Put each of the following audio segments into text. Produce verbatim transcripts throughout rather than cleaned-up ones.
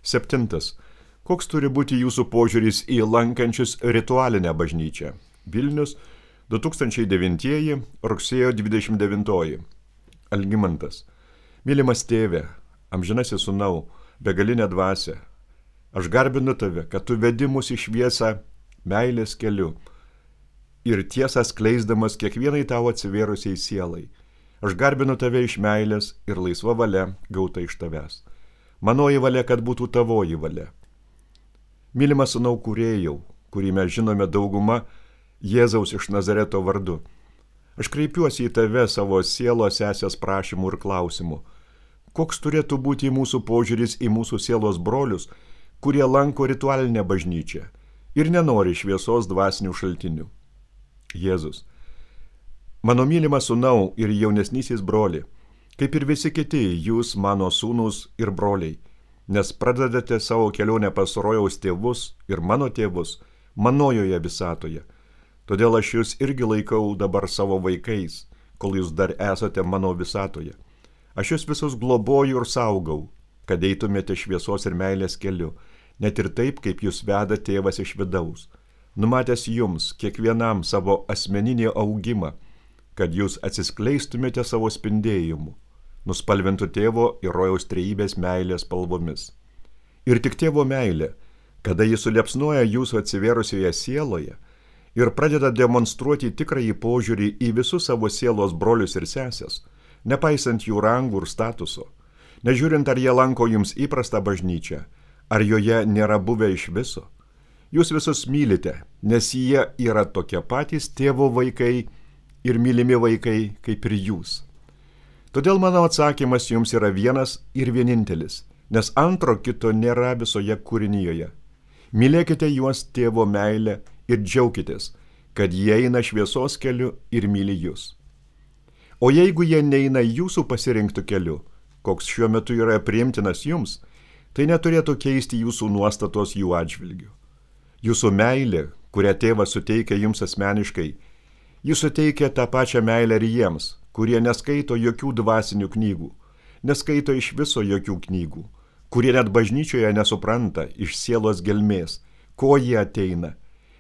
Septintas. Koks turi būti jūsų požiūris į lankančius ritualinę bažnyčią? Vilnius, du tūkstančiai devintieji, rugsėjo dvidešimt devintoji. Algimantas. Mylimas tėve, amžinasis sūnau, begalinė dvasia, aš garbinu tave, kad tu vedi mus į šviesą meilės keliu ir tiesą skleisdamas kiekvienai tau atsivėrusiai sielai. Aš garbinu tave iš meilės ir laisva valia gauta iš tavęs. Manoji valia, kad būtų tavoji valia. Mylimas sūnau kūrėjau, kurį mes žinome dauguma Jėzaus iš Nazareto vardu. Aš kreipiuosi į tave savo sielos sesės prašymų ir klausimų. Koks turėtų būti mūsų požiūris į mūsų sielos brolius, kurie lanko ritualinę bažnyčią ir nenori šviesos dvasinių šaltinių? Jėzus. Mano mylimas sūnau ir jaunesnysis broli, kaip ir visi kiti, jūs mano sūnūs ir broliai, nes pradedate savo kelionę pas rojaus tėvus ir mano tėvus manojoje visatoje. Todėl aš jūs irgi laikau dabar savo vaikais, kol jūs dar esate mano visatoje. Aš jūs visus globoju ir saugau, kad eitumėte šviesos ir meilės keliu, net ir taip, kaip jūs veda tėvas iš vidaus, numatęs jums kiekvienam savo asmeninį augimą, kad jūs atsiskleistumėte savo spindėjimu, nuspalvintų tėvo ir rojaus trejybės meilės spalvomis. Ir tik tėvo meilė, kada jis suliepsnoja jūsų atsivėrusioje sieloje ir pradeda demonstruoti tikrąjį požiūrį į visus savo sielos brolius ir sesės, nepaisant jų rangų ir statuso, nežiūrint, ar jie lanko jums įprastą bažnyčią, ar joje nėra buvę iš viso. Jūs visus mylite, nes jie yra tokie patys tėvo vaikai ir mylimi vaikai kaip ir jūs. Todėl mano atsakymas jums yra vienas ir vienintelis, nes antro kito nėra visoje kūrinyje. Mylėkite juos tėvo meilę ir džiaukitės, kad jie eina šviesos keliu ir myli jūs. O jeigu jie neina jūsų pasirinktų keliu, koks šiuo metu yra priimtinas jums, tai neturėtų keisti jūsų nuostatos jų atžvilgiu. Jūsų meilė, kurią tėvas suteikia jums asmeniškai, jis suteikia tą pačią meilę ir jiems, kurie neskaito jokių dvasinių knygų, neskaito iš viso jokių knygų, kurie net bažnyčioje nesupranta iš sielos gelmės, ko jie ateina,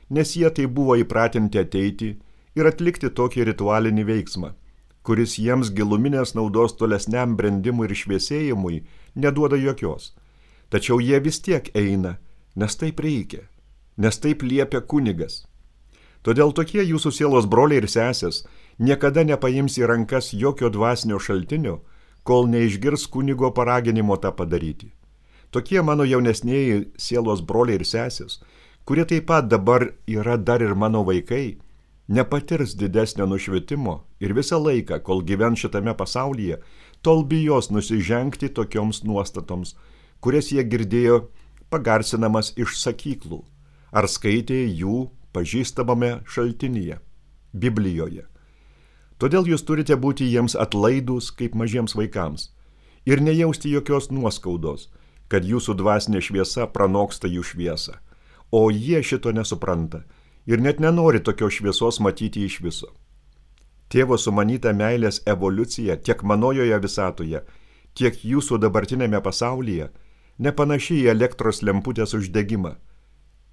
nes jie tai buvo įpratinti ateiti ir atlikti tokį ritualinį veiksmą, kuris jiems giluminės naudos tolesniam brendimui ir šviesėjimui neduoda jokios. Tačiau jie vis tiek eina, nes taip reikia, nes taip liepia kunigas. Todėl tokie jūsų sielos broliai ir sesės niekada nepaims į rankas jokio dvasinio šaltinio, kol neišgirs kunigo paraginimo tą padaryti. Tokie mano jaunesnieji sielos broliai ir sesės, kurie taip pat dabar yra dar ir mano vaikai, nepatirs didesnio nušvitimo ir visą laiką, kol gyvens šitame pasaulyje, tol bijos nusižengti tokioms nuostatoms, kurias jie girdėjo pagarsinamas iš sakyklų, ar skaitė jų pažįstamame šaltinyje, Biblijoje. Todėl jūs turite būti jiems atlaidūs kaip mažiems vaikams ir nejausti jokios nuoskaudos, kad jūsų dvasinė šviesa pranoksta jų šviesą, o jie šito nesupranta ir net nenori tokios šviesos matyti iš viso. Tėvo sumanyta meilės evoliucija tiek manojoje visatoje, tiek jūsų dabartinėme pasaulyje nepanaši į elektros lemputės uždegimą.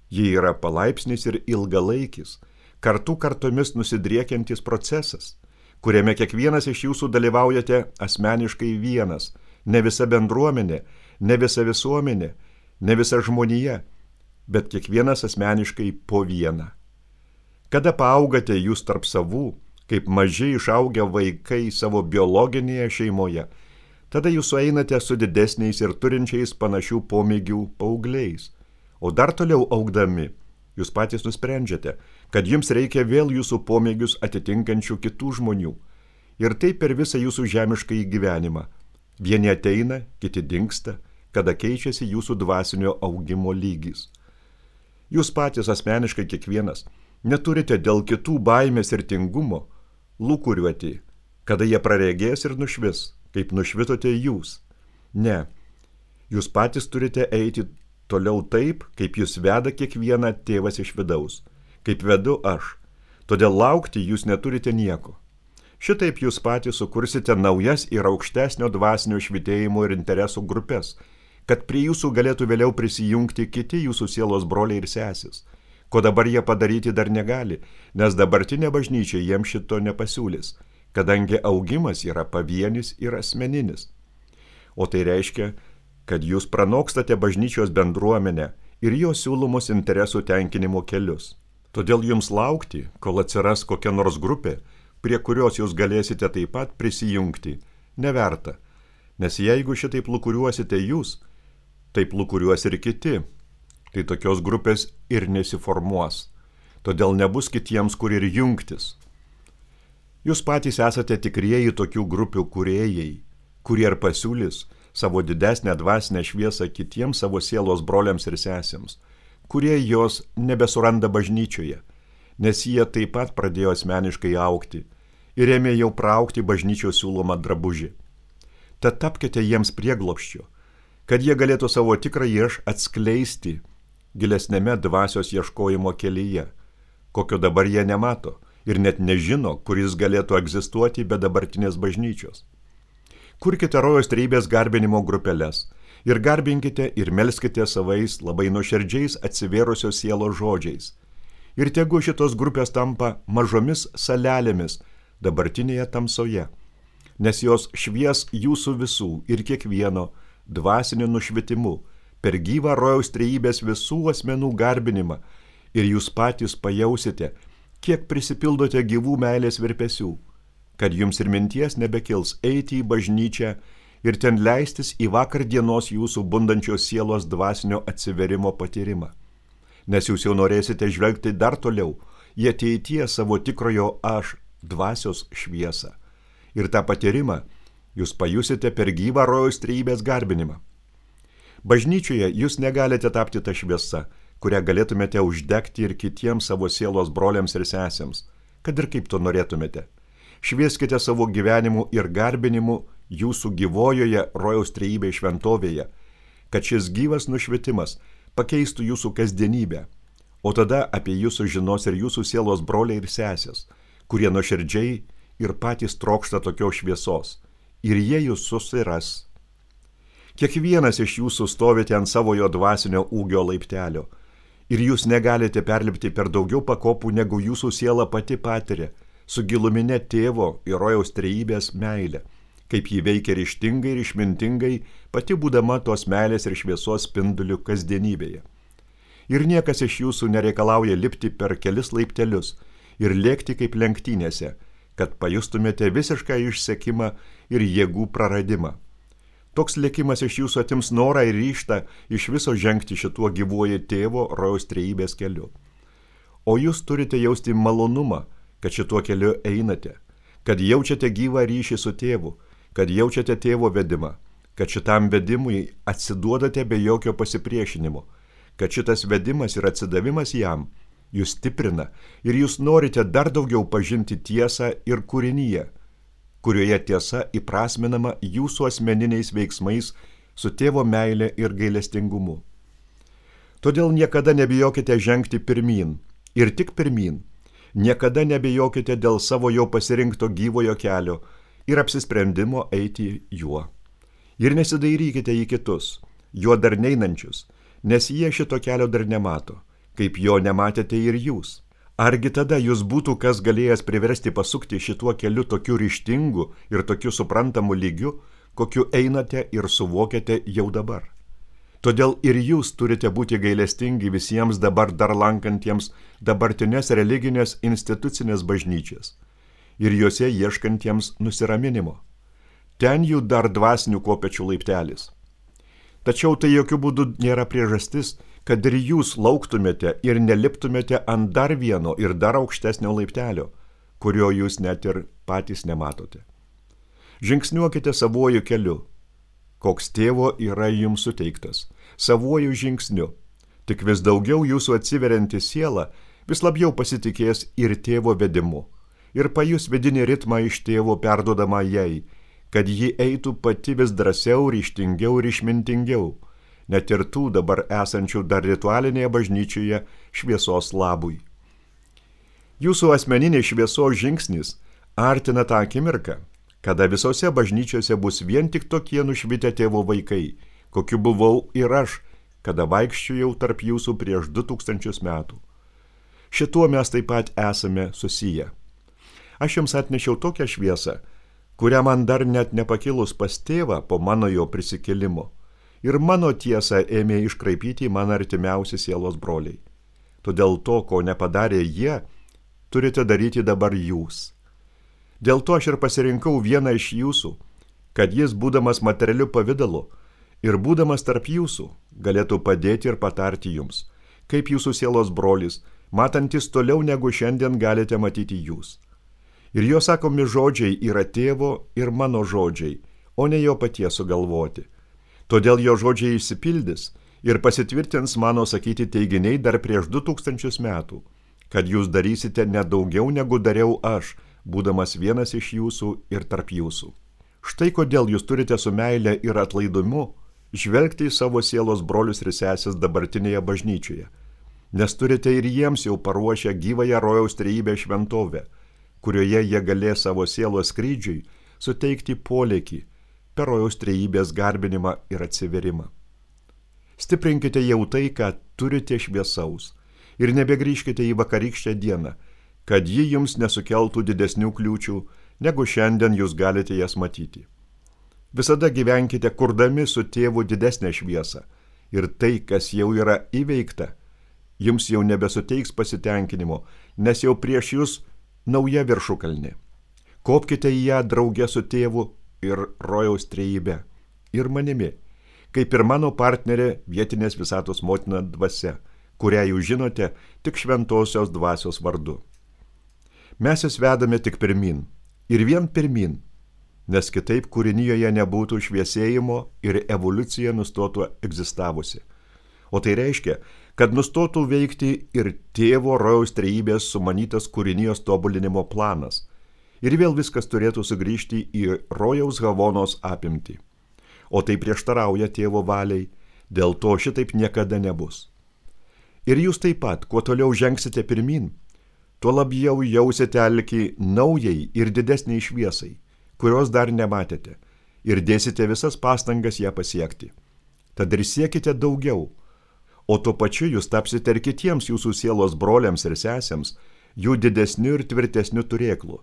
Ji yra palaipsnis ir ilgalaikis, kartų kartomis nusidriekiantis procesas, kuriame kiekvienas iš jūsų dalyvaujate asmeniškai vienas, ne visa bendruomenė, ne visa visuomenė, ne visa žmonija, bet kiekvienas asmeniškai po vieną. Kada paaugate jūs tarp savų, kaip maži išaugę vaikai savo biologinėje šeimoje, tada jūs sueinate su didesniais ir turinčiais panašių pomėgių paaugliais. O dar toliau augdami, jūs patys nusprendžiate, kad jums reikia vėl jūsų pomėgius atitinkančių kitų žmonių. Ir taip per visą jūsų žemiškąjį gyvenimą. Vieni ateina, kiti dingsta, kada keičiasi jūsų dvasinio augimo lygis. Jūs patys asmeniškai kiekvienas neturite dėl kitų baimės ir tingumo lūkuriuoti, kada jie praregės ir nušvis, kaip nušvitote jūs. Ne, jūs patys turite eiti toliau taip, kaip jūs veda kiekvieną tėvas iš vidaus, kaip vedu aš. Todėl laukti jūs neturite nieko. Šitaip jūs patys sukursite naujas ir aukštesnio dvasinio švitėjimo ir interesų grupės, kad prie jūsų galėtų vėliau prisijungti kiti jūsų sielos broliai ir sesis, ko dabar jie padaryti dar negali, nes dabartinė bažnyčia jiems šito nepasiūlys, kadangi augimas yra pavienis ir asmeninis. O tai reiškia, kad jūs pranokstate bažnyčios bendruomenę ir jos siūlomus interesų tenkinimo kelius. Todėl jums laukti, kol atsiras kokia nors grupė, prie kurios jūs galėsite taip pat prisijungti, neverta, nes jeigu šitaip lūkuriuosite jūs, taip lūkuriuos ir kiti, tai tokios grupės ir nesiformuos, todėl nebus kitiems, kur ir jungtis. Jūs patys esate tikrieji tokių grupių kūrėjai, kurie ir pasiūlys savo didesnę dvasinę šviesą kitiems savo sielos broliams ir sesėms, kurie jos nebesuranda bažnyčioje, nes jie taip pat pradėjo asmeniškai augti ir ėmė jau praukti bažnyčios siūlomą drabužį. Tad tapkite jiems prieglobsčiu, kad jie galėtų savo tikrąjį aš atskleisti gilesnėme dvasios ieškojimo kelyje, kokio dabar jie nemato ir net nežino, kuris galėtų egzistuoti be dabartinės bažnyčios. Kurkite rojaus trejybės garbinimo grupeles ir garbinkite ir melskite savais labai nuoširdžiais atsivėrusios sielos žodžiais. Ir tegu šitos grupės tampa mažomis salelėmis dabartinėje tamsoje, nes jos švies jūsų visų ir kiekvieno dvasiniu nušvitimu per gyvą rojaus trejybės visų asmenų garbinimą ir jūs patys pajausite, kiek prisipildote gyvų meilės virpesių, kad jums ir minties nebekils eiti į bažnyčią ir ten leistis į vakar dienos jūsų bundančios sielos dvasinio atsiverimo patyrimą. Nes jūs jau norėsite žvelgti dar toliau į ateityje savo tikrojo aš dvasios šviesą. Ir tą patyrimą jūs pajusite per gyvą rojaus trejybės garbinimą. Bažnyčioje jūs negalite tapti tą šviesą, kurią galėtumėte uždegti ir kitiems savo sielos broliams ir sesėms, kad ir kaip to norėtumėte. Švieskite savo gyvenimu ir garbinimu jūsų gyvojoje rojaus trejybės šventovėje, kad šis gyvas nušvitimas pakeistų jūsų kasdienybę, o tada apie jūs sužinos ir jūsų sielos broliai ir sesės, kurie nuoširdžiai ir patys trokšta tokios šviesos, ir jie jūs susiras. Kiekvienas iš jūsų stovite ant savojo dvasinio ūgio laiptelio, ir jūs negalite perlipti per daugiau pakopų, negu jūsų siela pati patiria, su giluminė tėvo ir rojaus trejybės meilė, kaip jį veikia ryžtingai ir išmintingai, pati būdama tos meilės ir šviesos spinduliu kasdienybėje. Ir niekas iš jūsų nereikalauja lipti per kelis laiptelius ir lėkti kaip lenktynėse, kad pajustumėte visišką išsekimą ir jėgų praradimą. Toks lėkimas iš jūsų atims norą ir ryžtą iš viso žengti šituo gyvuoju tėvo rojaus trejybės keliu. O jūs turite jausti malonumą, kad šituo keliu einate, kad jaučiate gyvą ryšį su tėvu, kad jaučiate tėvo vedimą, kad šitam vedimui atsiduodate be jokio pasipriešinimo, kad šitas vedimas ir atsidavimas jam jūs stiprina ir jūs norite dar daugiau pažinti tiesą ir kūrinyje, kurioje tiesa įprasminama jūsų asmeniniais veiksmais su tėvo meile ir gailestingumu. Todėl niekada nebijokite žengti pirmyn ir tik pirmyn. Niekada nebijokite dėl savo jau pasirinkto gyvojo kelio ir apsisprendimo eiti juo. Ir nesidairykite į kitus, juo dar neinančius, nes jie šito kelio dar nemato, kaip jo nematėte ir jūs. Argi tada jūs būtų kas galėjęs priversti pasukti šituo keliu tokiu ryžtingu ir tokiu suprantamu lygiu, kokiu einate ir suvokiate jau dabar. Todėl ir jūs turite būti gailestingi visiems dabar dar lankantiems dabartinės religinės institucinės bažnyčias ir juose ieškantiems nusiraminimo. Ten jų dar dvasinių kopečių laiptelis. Tačiau tai jokių būdų nėra priežastis, kad ir jūs lauktumėte ir neliptumėte ant dar vieno ir dar aukštesnio laiptelio, kurio jūs net ir patys nematote. Žingsniuokite savuoju keliu, koks tėvo yra jums suteiktas, savuoju žingsniu. Tik vis daugiau jūsų atsiverianti siela vis labiau pasitikės ir tėvo vedimu ir pajus vidinį ritmą iš tėvo perduodama jai, kad ji eitų pati vis drąsiau, ryžtingiau ir išmintingiau, net ir tų dabar esančių dar ritualinėje bažnyčioje šviesos labui. Jūsų asmeninės šviesos žingsnis artina tą akimirką, kada visose bažnyčiose bus vien tik tokie nušvitę tėvo vaikai, kokiu buvau ir aš, kada vaikščiojau tarp jūsų prieš du tūkstančius metų. Šituo mes taip pat esame susiję. Aš jums atnešiau tokią šviesą, kurią man dar net nepakilus pas tėvą po mano jo prisikėlimo. Ir mano tiesą ėmė iškraipyti man artimiausi sielos broliai. Todėl to, ko nepadarė jie, turite daryti dabar jūs. Dėl to aš ir pasirinkau vieną iš jūsų, kad jis, būdamas materialiu pavidalu ir būdamas tarp jūsų, galėtų padėti ir patarti jums, kaip jūsų sielos brolis, matantis toliau negu šiandien galite matyti jūs. Ir jo sakomi žodžiai yra tėvo ir mano žodžiai, o ne jo paties sugalvoti. Todėl jo žodžiai išsipildys ir pasitvirtins mano sakyti teiginiai dar prieš du tūkstančius metų, kad jūs darysite nedaugiau negu dariau aš, būdamas vienas iš jūsų ir tarp jūsų. Štai kodėl jūs turite su meile ir atlaidumu žvelgti į savo sielos brolius ir sesės dabartinėje bažnyčioje, nes turite ir jiems jau paruošę gyvąją rojaus trejybę šventovę, kurioje jie galės savo sielos skrydžiui suteikti polėkį per rojaus trejybės garbinimą ir atsiverimą. Stiprinkite jau tai, ką turite šviesaus, ir nebegrįžkite į vakarykštę dieną, kad ji jums nesukeltų didesnių kliūčių, negu šiandien jūs galite jas matyti. Visada gyvenkite kurdami su tėvu didesnę šviesą, ir tai, kas jau yra įveikta, jums jau nebesuteiks pasitenkinimo, nes jau prieš jūs nauja viršukalnė. Kopkite į ją drauge su tėvu ir rojaus trejybe, ir manimi, kaip ir mano partnerė vietinės visatos motina dvasia, kurią jūs žinote tik šventosios dvasios vardu. Mes jūs vedame tik pirmin, ir vien pirmin, nes kitaip kūrinijoje nebūtų šviesėjimo ir evoliucija nustotų egzistavusi. O tai reiškia, kad nustotų veikti ir tėvo rojaus trejybės sumanytas kūrinijos tobulinimo planas, ir vėl viskas turėtų sugrįžti į rojaus havonos apimtį. O tai prieštarauja tėvo valiai, dėl to šitaip niekada nebus. Ir jūs taip pat, kuo toliau žengsite pirmin, tuo labiau jausite alkį naujai ir didesniai šviesai, kurios dar nematėte, ir dėsite visas pastangas ją pasiekti. Tad ir siekite daugiau, o tuo pačiu jūs tapsite ir kitiems jūsų sielos broliams ir sesėms, jų didesniu ir tvirtesniu turėklu,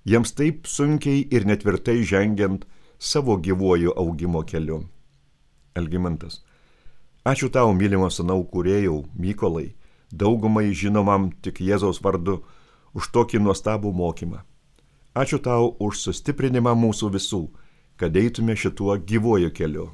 jiems taip sunkiai ir netvirtai žengiant savo gyvuoju augimo keliu. Algimantas. Ačiū tau, mylimo sūnau kūrėjau, Mykolai, daugumai žinomam tik Jėzaus vardu, už tokį nuostabų mokymą. Ačiū tau už sustiprinimą mūsų visų, kad eitume šituo gyvuoju keliu.